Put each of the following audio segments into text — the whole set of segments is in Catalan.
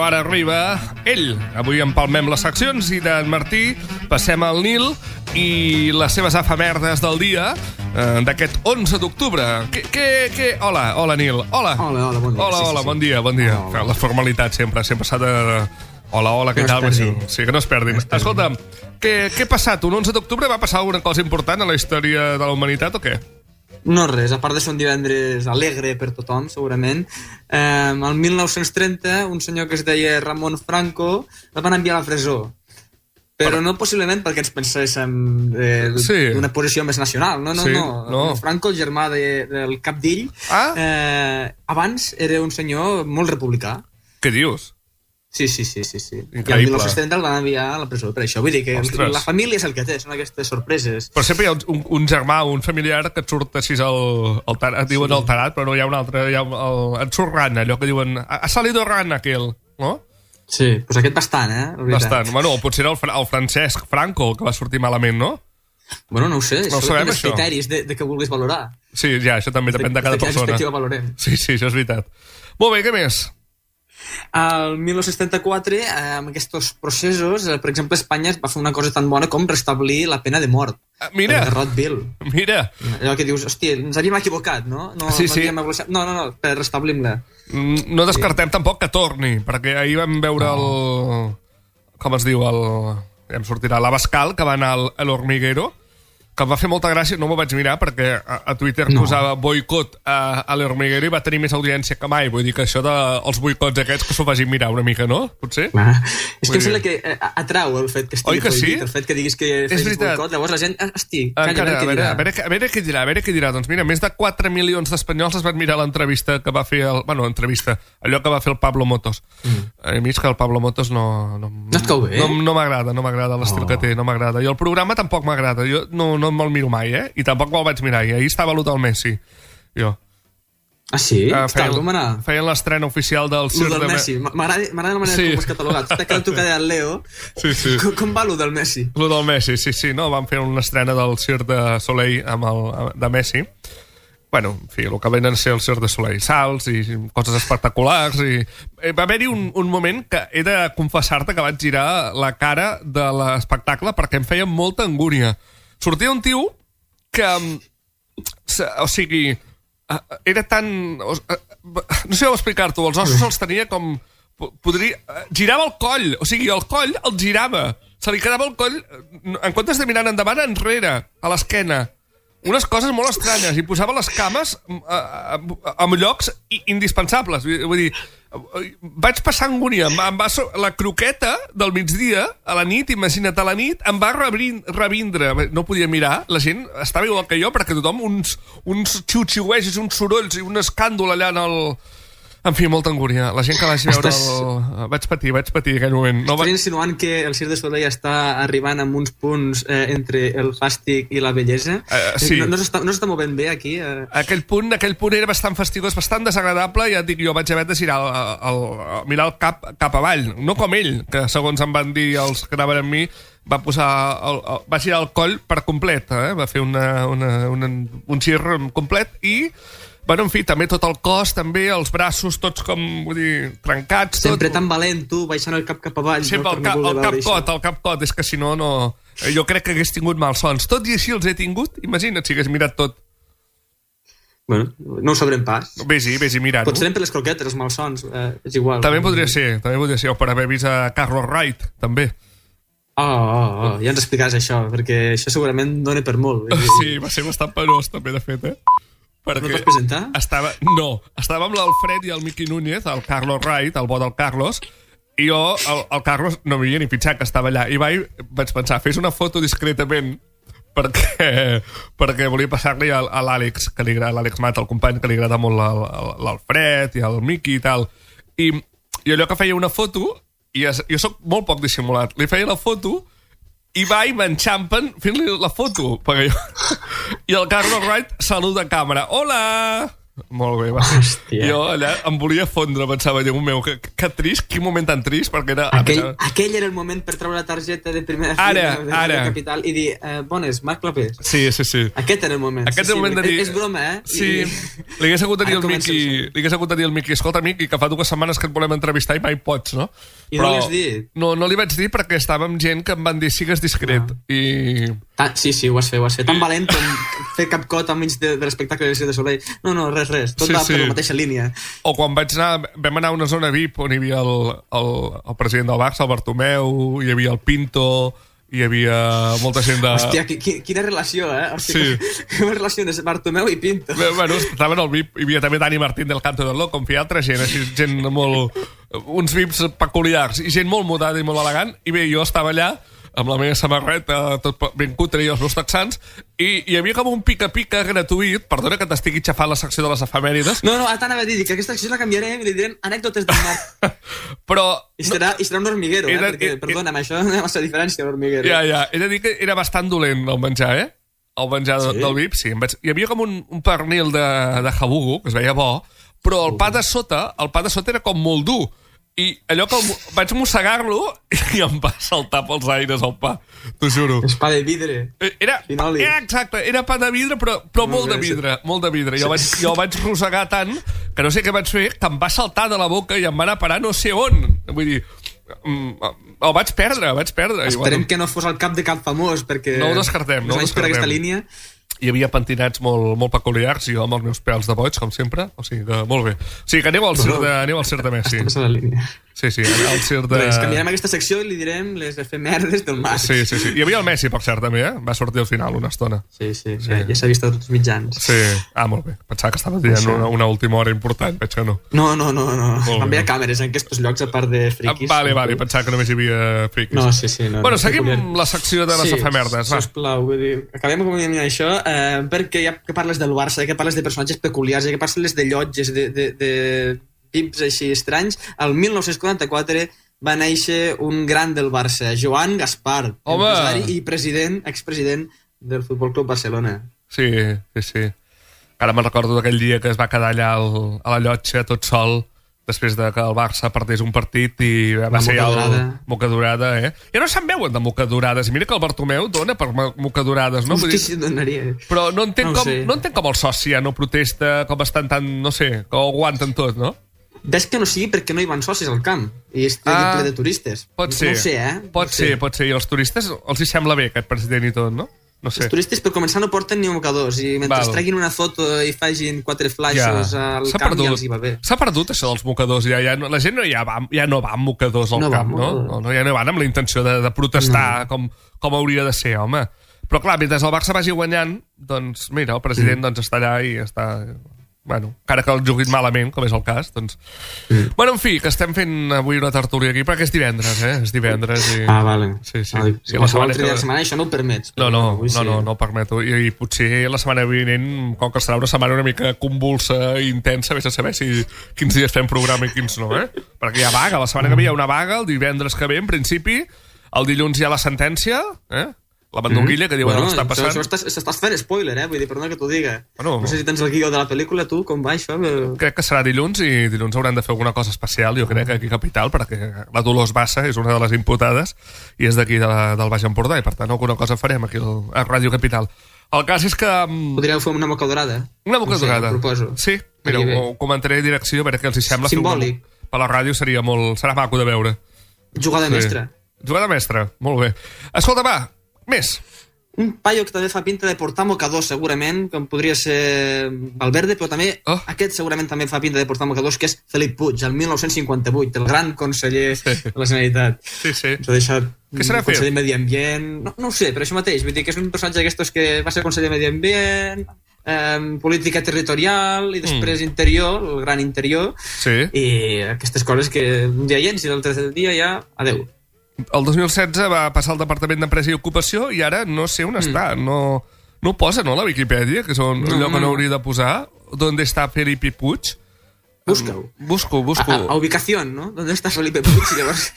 ara arriba ell. Avui empalmem les seccions i d'en Martí passem al Nil i les seves efemèrdes del dia d'aquest 11 d'octubre. Hola, Nil. Hola, bon dia. Hola, bon dia. La formalitat sempre s'ha de... Hola, què tal? Sí, que no es perdin. Escolta'm, què ha passat? Un 11 d'octubre va passar alguna cosa important a la història de la humanitat o què? No res, a part de ser un divendres alegre per tothom, segurament. El 1930, un senyor que es deia Ramon Franco el van enviar a la presó. Però no possiblement perquè ens penséssim d'una posició més nacional. No. Franco, el germà del cap d'ell, abans era un senyor molt republicà. Què dius? Sí. Increïble. I el 1970 el van enviar a la presó per això. Vull dir que la família és el que té, són aquestes sorpreses. Però sempre hi ha un germà o un familiar que et surt així et diuen el tarat, però no hi ha un altre, et surt rana, allò que diuen ha salido rana aquell, no? Sí, doncs aquest bastant, Bastant. Bueno, potser era el Francesc Franco que va sortir malament, no? Bueno, no ho sé, no són els criteris de què vulguis valorar. Sí, ja, això també depèn de cada persona. De quina perspectiva valorem. Sí, això és veritat. Molt bé, què més? El 1974, amb aquests processos, per exemple, Espanya va fer una cosa tan bona com restablir la pena de mort. Mira! De Rottweil. Mira! Allò que dius, hòstia, ens havíem equivocat, no? Sí. No, per restablim-la. No descartem tampoc que torni, perquè ahir vam veure com es diu, ja em sortirà, l'Abascal, que va anar a l'Hormiguero, que em va fer molta gràcia, no m'ho vaig mirar perquè a Twitter posava boicot a l'Hormiguero i va tenir més audiència que mai. Vull dir que això dels boicots aquests que s'ho vagin mirar una mica, no? Potser? És que em sembla que atrau el fet que estigui prohibit, el fet que diguis que fes boicot, llavors la gent, a veure què dirà. Doncs mira, més de 4 milions d'espanyols es van mirar l'entrevista que va fer allò que va fer el Pablo Motos. A mi és que el Pablo Motos no et cau bé? No m'agrada l'estil que té, no m'agrada. I el programa tampoc m'agrada. Jo no me'l miro mai, I tampoc me'l vaig mirar. I ahir estava l'Hotel Messi, jo. Ah, sí? Feien l'estrena oficial del Cirque de Messi. M'agrada la manera com és catalogat. T'ha quedat trucada al Leo. Sí. Com va l'Hotel Messi? L'Hotel Messi, sí. No, van fer una estrena del Cirque de Soleil de Messi. Bueno, en fi, el que venen a ser el Cirque de Soleil. Salts i coses espectaculars. Va haver-hi un moment que he de confessar-te que vaig girar la cara de l'espectacle perquè em feia molta angúnia. Sortia un tio que, o sigui, era tan... No sé com explicar-t'ho, els ossos els tenia com... Girava el coll, o sigui, el coll el girava. Se li quedava el coll, en comptes de mirar endavant, enrere, a l'esquena. Unes coses molt estranyes, i posava les cames en llocs indispensables. Vull dir, vaig passar angúnia. La croqueta del migdia, a la nit, imagina't, a la nit, em va revindre. No podia mirar, la gent estava igual que jo, perquè tothom, uns xiu-xiuejos, uns sorolls i un escàndol allà en el... En fi, molta angúnia. La gent que vagi veure Vaig patir aquell moment. Estàs insinuant que el Cirque de Soleil està arribant amb uns punts entre el fàstic i la bellesa? Sí. No s'està movent bé, aquí? Aquell punt era bastant fastigós, bastant desagradable, ja et dic, jo vaig haver de girar mirar el cap avall. No com ell, que segons em van dir els que anaven amb mi, va girar el coll per complet, va fer un gir complet i... Bueno, en fi, també tot el cos, també els braços, tots com, vull dir, trencats. Sempre tan valent, tu, baixant el cap avall. Sempre el capcot, és que si no... Jo crec que hagués tingut malsons. Tot i així els he tingut, imagina't si hagués mirat tot. Bueno, no ho sabrem pas. Vés-hi mirant-ho. Potser per les croquetes, els malsons, és igual. També podria ser, o per haver vist a Carlos Wright, també. Ja ens explicaràs això, perquè això segurament dona per molt. Sí, va ser bastant penós, també, de fet, No et vas presentar? Estava amb l'Alfred i el Miqui Núñez, el Carlos Wright, el bo del Carlos, i jo, el Carlos, no m'havia ni pitjat que estava allà, i vaig pensar, fes una foto discretament, perquè volia passar-li a l'Àlex, que li agrada, l'Àlex Mat, el company, que li agrada molt l'Alfred i el Miqui i tal, i allò que feia una foto, i jo soc molt poc dissimulat, li feia la foto, i va i m'enxampen fent-li la foto. I el Carlos Wright saluda a càmera. Hola! Molt bé, va. Hòstia. Jo allà em volia fondre, pensava, Déu meu, que trist, quin moment tan trist, perquè era... Aquell era el moment per treure la targeta de primera fila de Capital i dir, bones, Marc Clapés. Sí. Aquest era el moment. Aquest era el moment de dir... És broma, eh? Sí, li hagués hagut de dir al Miqui, escolta, Miqui, que fa 2 setmanes que et volem entrevistar i mai pots, no? I no li has dit? No li vaig dir perquè estava amb gent que em van dir sigues discret. I... Sí, ho vas fer. Tan valent com fer cap cot enmig de l'espectacle de Cirque du Soleil. No, res. Tot va per la mateixa línia. O quan vam anar a una zona VIP on hi havia el president del Barça, el Bartomeu, hi havia el Pinto, hi havia molta gent de... Hòstia, quina relació, eh? Hòstia, sí. Quina relació és Bartomeu i Pinto. Bueno, estaven al VIP, hi havia també Dani Martín del Canto del Loco, com feia altra gent, així, gent molt... uns VIPs peculiars, i gent molt mudada i molt elegant, i bé, jo estava allà amb la meva samarreta, tot ben cutre i els meus texans, i hi havia com un pica-pica gratuït, perdona que t'estigui xafant la secció de les efemèrides. No, t'anava a dir que aquesta secció la canviarem i li direm anècdotes del Marc. Però... I serà un hormiguero, perquè, perdona'm, això no hi ha massa diferència, l'hormiguero. Ja, he de dir que era bastant dolent el menjar, El menjar del VIP, sí. Hi havia com un pernil de jabugo, que es veia bo, però el pa de sota era com molt dur. I allò que vaig mossegar-lo i em va saltar pels aires el pa, t'ho juro. És pa de vidre. Exacte, era pa de vidre, però molt de vidre. Jo el vaig rosegar tant que no sé què vaig fer, que em va saltar de la boca i em va anar a parar no sé on. Vull dir, el vaig perdre. Esperem que no fos el cap de cap famós, perquè... No ho descartem. Per aquesta línia... Hi havia pentinats molt peculiars, i jo amb els meus pèls de boig, com sempre. O sigui que, molt bé. O sigui que aneu al Cirque de Messi. Estàs a la línia. Sí, al Cirque de... Res, canviarem aquesta secció i li direm les efemèrides del Marc. Sí. Hi havia el Messi, per cert, també, Va sortir al final una estona. Sí. Ja s'ha vist a tots els mitjans. Sí. Molt bé. Pensava que estava dient una última hora important, veig que no. No. També hi ha càmeres en aquests llocs, a part de friquis. Vale, pensava que només hi havia friquis. No, sí. No, bueno, seguim la secció de les efemèrdes, va. Sisplau, vull dir, acabem com això, perquè ja que parles del Barça, que parles de personatges peculiars, ja que parles de llotges, de pips així estranys, el 1944 va néixer un gran del Barça, Joan Gaspar, empresari i expresident del Futbol Club Barcelona. Sí. Ara me'n recordo d'aquell dia que es va quedar allà a la llotja tot sol, després de que el Barça perdés un partit i va ser ja mocadurada, Ja no se'n veuen de mocadurades. I mira que el Bartomeu dona per mocadurades, no? Hosti, sí, donaria. Però no entenc com el soci ja no protesta, com estan tan, no sé, que ho aguanten tot, no? Ves que no sigui perquè no hi van socis al camp i és ple de turistes. Pot ser. No ho sé, Pot ser. I als turistes els hi sembla bé aquest president i tot, no? No sé. Els turistes, per començar, no porten ni mocadors i mentre es treguin una foto i facin 4 flashes al camp ja els hi va bé. S'ha perdut això dels mocadors. La gent ja no va amb mocadors al camp, no? Ja no van amb la intenció de protestar com hauria de ser, home. Però clar, mentre el Barça vagi guanyant, doncs mira, el president està allà i està... Bueno, encara que el juguin malament, com és el cas, doncs... Bueno, en fi, que estem fent avui una tertúlia aquí, perquè és divendres, És divendres i... vale. Sí. Si la setmana això no ho permets. No ho permeto. I potser la setmana vinent, com que serà una setmana una mica convulsa i intensa, vés a saber quins dies fem programa i quins no, Perquè hi ha vaga, la setmana que ve hi ha una vaga, el divendres que ve, en principi, el dilluns hi ha la sentència, la bandonguilla, que diuen que està passant. Això estàs fent spoiler, vull dir, perdona que t'ho diga. No sé si tens el guió de la pel·lícula, tu, com va això? Crec que serà dilluns i dilluns hauran de fer alguna cosa especial, jo crec, aquí a Capital, perquè la Dolors Bassa és una de les imputades i és d'aquí del Baix Empordà, i per tant alguna cosa farem aquí a Ràdio Capital. El cas és que... Podríeu fer una mocadurada. Una mocadurada. No sé, proposo. Sí, mira, ho comentaré a direcció, a veure què els hi sembla. Simbòlic. Per la ràdio serà maco de veure. Jugada mestra. Jugada mestra, molt bé. Escolta, va, més. Un paio que també fa pinta de portar mocadors, segurament, com podria ser Valverde, però també aquest segurament també fa pinta de portar mocadors, que és Felip Puig, el 1958, el gran conseller de la Generalitat. Sí. Ens ha deixat conseller de Medi Ambient... No ho sé, però això mateix, vull dir que és un personatge d'aquestos que va ser conseller de Medi Ambient, política territorial i després interior, el gran interior, i aquestes coses que un dia hi ets i l'altre dia ja, adeu. El 2016 va passar al Departament d'Empresa i Ocupació i ara no sé on està. No ho posa, no, la Viquipèdia, que és allò que no hauria de posar. ¿Dónde está Felipe Puig? Busca-ho. Busco. A ubicación, ¿no? ¿Dónde está Felipe Puig? Llavors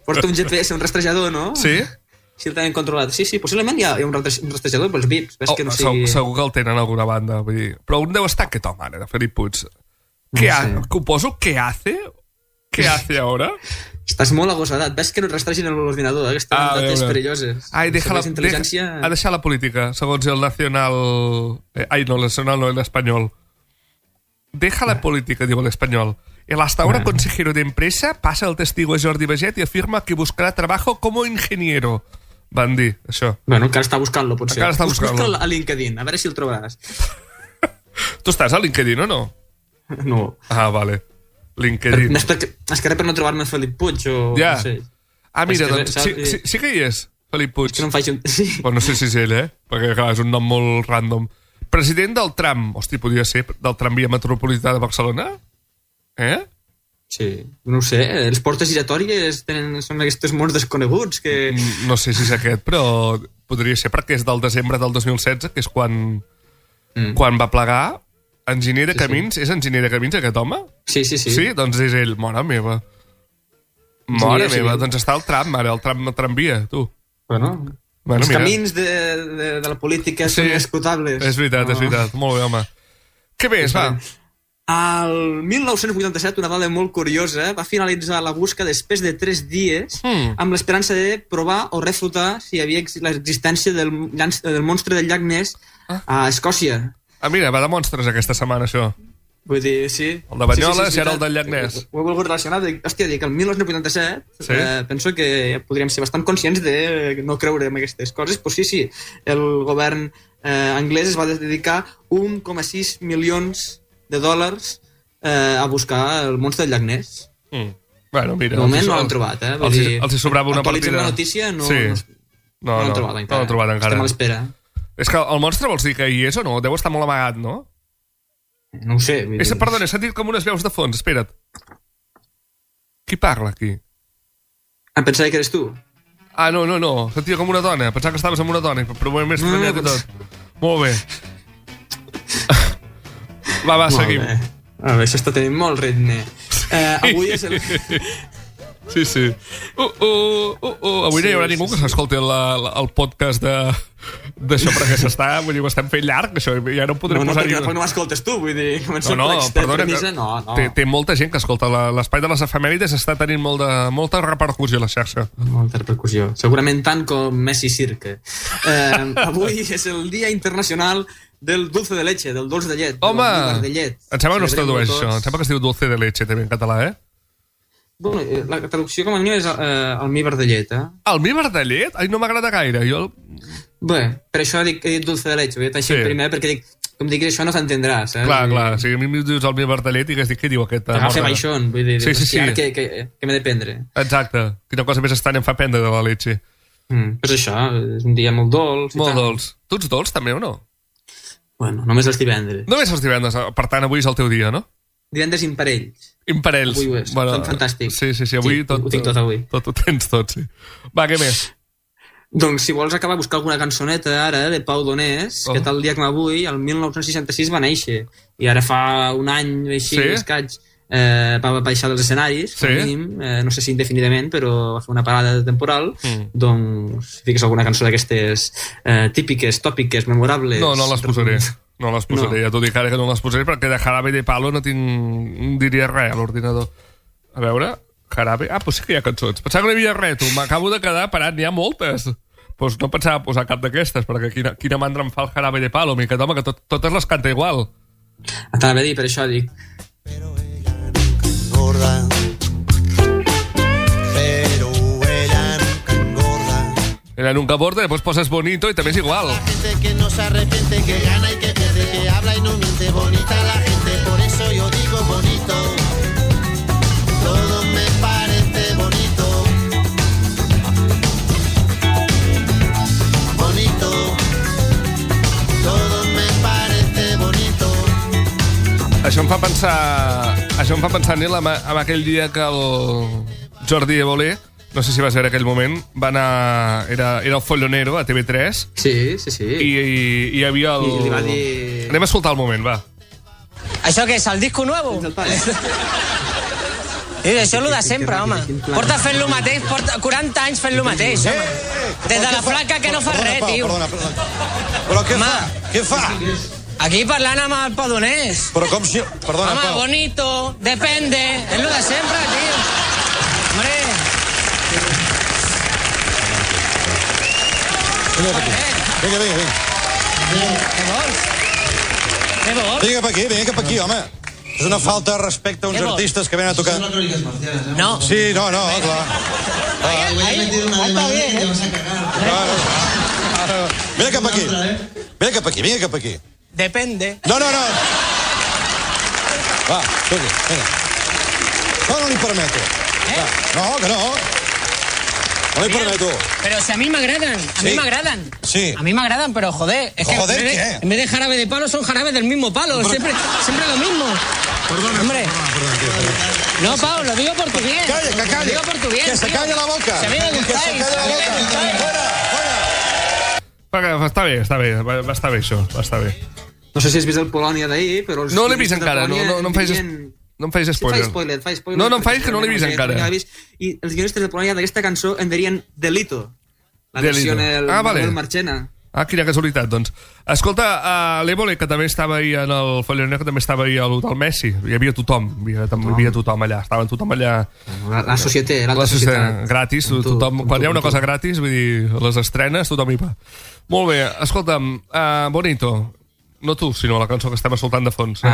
porta un GPS, un rastrejador, no? Sí. si el tenen controlat. Sí, possiblement hi ha un rastrejador pels VIPs. Ves que no sigui... Segur que el tenen a alguna banda. Vull dir. Però on deu estar aquest home, ara, de Felip Puig? ¿Qué hace? ¿Qué hace ahora? Estàs molt agosadat. Ves que no et rastregin l'ordinador, que estan dades perilloses. Ha deixat la política, segons el Nacional... no, el Nacional no, el Español. Deja la política, diu l'Espanyol. El hasta ahora consejero de empresa pasa el testigo a Jordi Baget i afirma que buscarà trabajo como ingeniero. Van dir, això. Bueno, encara està buscant-lo, potser. Encara està buscant-lo. Busca a LinkedIn, a veure si el trobaràs. Tu estàs a LinkedIn o no? No. Ah, vale. LinkedIn. És que per no trobar-me Felip Puig o... Ja. No sé. Ah, mira, doncs, sí que hi és, Felip Puig. És que no em faig un... Sí. Bueno, no sé si és ell, perquè clar, és un nom molt random. President del tram, hosti, podria ser del tramvia metropolità de Barcelona? Sí, no ho sé, els portes giratòries són aquests mons desconeguts que... No sé si és aquest, però podria ser perquè és del desembre del 2016, que és quan va plegar. Enginyer de camins, és enginyer de camins aquest home? Sí. Sí, doncs és ell, mare meva. Mare meva, doncs està al tram, ara, el tramvia, tu. Bueno, els camins de la política són escrutables. És veritat, molt bé, home. Què més, va? Al 1987, una dada molt curiosa, va finalitzar la busca després de 3 dies amb l'esperança de provar o refutar si hi havia l'existència del monstre del llac Ness a Escòcia. Ah, mira, va de monstres aquesta setmana, això. Vull dir, sí. El de Banyoles i ara el del llac Ness. Ho he volgut relacionar. Hòstia, dic, el 1987 penso que podríem ser bastant conscients de no creure en aquestes coses. Pues sí, el govern anglès es va dedicar 1,6 milions de dòlars a buscar el monstre del llac Ness. Bueno, mira... De moment no l'han trobat, Els hi sobrava una partida... Actualitzem la notícia, no l'han trobat encara. No l'han trobat encara. Estem a l'espera. És que el monstre vols dir que hi és o no? Deu estar molt amagat, no? No ho sé. Perdona, he sentit com unes veus de fons. Espera't. Qui parla aquí? Em pensava que eres tu. Ah, no. Sentia com una dona. Pensava que estaves amb una dona, però m'he més estranyat i tot. Molt bé. Va, seguim. Això està tenint molt ritme. Avui és el... Sí. Avui no hi haurà ningú que s'escolti el podcast d'això perquè vull dir, ho estem fent llarg, això, ja no podrem posar... No, perquè no m'escoltes tu, vull dir... Perdona, té molta gent que escolta l'espai de les efemèrides, està tenint molta repercussió a la xarxa. Molta repercussió, segurament tant com Messi Cirque. Avui és el Dia Internacional del dulce de leche, del dolç de llet. Home, em sembla que no es tradueix això, em sembla que es diu dulce de leche també en català, Bueno, la traducció com a mínim és almíbar de llet, Almíbar de llet? Ai, no m'agrada gaire. Bé, per això he dit dulce de leche. Ho he dit així primer perquè dic, com diguis això no s'entendrà, saps? Clar. Si a mi em dius almíbar de llet i que dic, què diu aquest? Agafa baixón, vull dir, sí. Ara què m'he de prendre? Exacte. Quina cosa més estranya em fa prendre de la leche. Pues això, és un dia molt dolç. Molt dolç. Tu ets dolç també o no? Bueno, només els divendres. Només els divendres, per tant avui és el teu dia, no? Divendres imparells. Imparells. Avui ho és, fantàstic. Sí, avui tot... Ho tinc tot avui. Tot ho tens tot, sí. Va, què més? Doncs si vols acabar a buscar alguna cançoneta ara de Pau Donés, que tal dia com avui, el 1966 va néixer, i ara fa un any així, escaig, va baixar dels escenaris, no sé si indefinidament, però va fer una parada temporal, doncs si fiques alguna cançó d'aquestes típiques, tòpiques, memorables... No les posaré. No les posaré, ja t'ho dic ara que no les posaré perquè de Jarabe de Palo no diria res a l'ordinador. A veure, Jarabe... Ah, doncs sí que hi ha cançons. Pensava que no hi havia res, tu. M'acabo de quedar parat, n'hi ha moltes. Doncs no pensava posar cap d'aquestes, perquè quina mandra em fa el Jarabe de Palo, mica, home, que totes les canta igual. T'anava a dir, per això dic. Pero ella nunca engorda. Ella nunca aborda, después poses bonito y también es igual. La gente que no se arrepiente, que gana y que pierde, que habla y no miente, bonita la gente, por eso yo digo bonito. Todo me parece bonito. Bonito. Todo me parece bonito. Això em fa pensar, Nil, en aquell dia que el Jordi Évole, no sé si vas veure aquell moment, va anar... Era el Follonero a TV3. Sí. I hi havia el... I li va dir... Anem a escoltar el moment, va. ¿Això què és, el disco nuevo? Això és el de sempre, home. Porta fent lo mateix, porta 40 anys fent lo mateix, home. Des de la flaca que no fa res, tio. Però què fa? Què fa? Aquí parlant amb el Padonés. Però com si... Perdona, home, Pau. bonito, depende. És lo de sempre, tio. Hombre. Vinga. Què vols? Què vols? Vinga pa aquí, home. És una falta de respecte a uns artistes que venen a tocar... No. Sí, no, clar. Está bien, Vine cap aquí. Depende. No. Va, vinga. No li permeto. Va, que no. No li permeto. Pero si a mí me agradan, Sí. A mí me agradan, pero joder, es que Joder, ¿qué? en vez de jarabe de palo son jarabes del mismo palo, siempre lo mismo. Perdona. Hombre. No, Pau, lo digo por tu bien. Calla. Lo digo por tu bien. Que se tío. calle la boca. Si a mí me Que se gustáis. calle la boca. Fora. Està bé, va estar bé això, va estar bé. No sé si has vist el Polònia d'ahir, però... No l'he vist encara, no em facis spoiler. Fa spoiler. No em facis que no l'he vist encara. I els guionistes de Polònia d'aquesta cançó en dirien Delito. La versió vale. del Marchena. Quina casualitat, doncs. Escolta, l'Évole, que també estava ahir en el Folloner, que també estava ahir a l'hotel Messi. Hi havia tothom, allà. Estava tothom allà. La societat, l'alta societat. Gratis, tothom. Quan hi ha una cosa gratis, vull dir, les estrenes, tothom hi va. Molt bé, escolta'm, Bonito. No tu, sinó la cançó que estem escoltant de fons.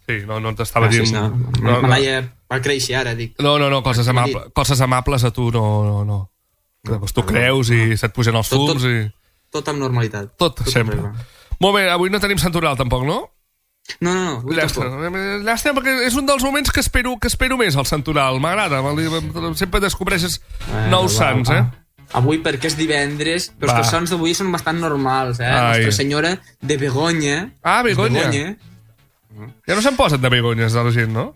Sí, no t'estava dient... Me l'haia per créixer ara, dic. No, coses amables a tu no. Tu creus i se't pugen els fums i... Tot amb normalitat. Tot sempre. Molt bé, avui no tenim santoral tampoc, no? No. Llàstima, perquè és un dels moments que espero més, el santoral. M'agrada, sempre descobreixes nous sants, Avui perquè és divendres, però els sants d'avui són bastant normals, Nostra Senyora de Begonya. Begonya. Ja no se'n posen de begonyes de la gent, no?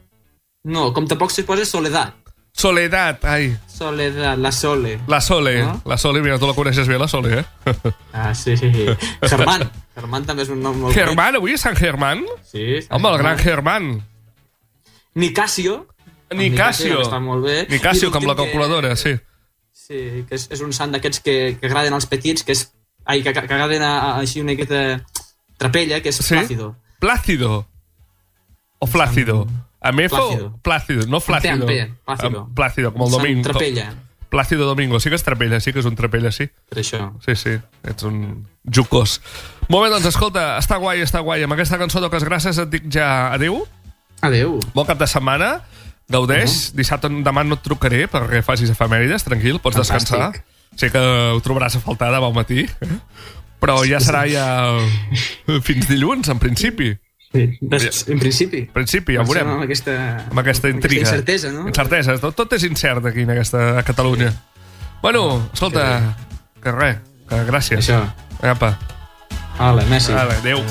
No, com tampoc se posa Soledad. Soledad, Soledad, la Sole. La Sole, no? La Sole, mira, tu la coneixes bé, la Sole, Sí. Germán també és un nom molt... Germán, avui és Sant Germán? Sí. Home, el gran Germán. Nicasio. Està molt bé. Nicasio, com la calculadora, sí. Sí, que és un sant d'aquests que agraden als petits, que agraden així una miqueta trapella, que és Plácido. Plácido? O Flácido? Plácido, no Flácido. Plácido, com el Domingo. Trapella. Plácido Domingo, sí que és trapella, sí que és un trapella, sí. Per això. Sí, ets un jucós. Molt bé, doncs escolta, està guai. Amb aquesta cançó toques gràcies, et dic ja adéu. Adéu. Bon cap de setmana, gaudeix. Dissabte, demà no et trucaré perquè facis efemèrides, tranquil, pots descansar. Sé que ho trobaràs a faltar demà al matí, però ja serà fins dilluns, en principi. Sí, en principi. Ja ho veurem. Amb aquesta intriga. Incertesa, no? Incertesa. Tot és incert aquí a Catalunya. Bueno, escolta, que res, que gràcies. Això. Apa. Hola, Messi. Adéu.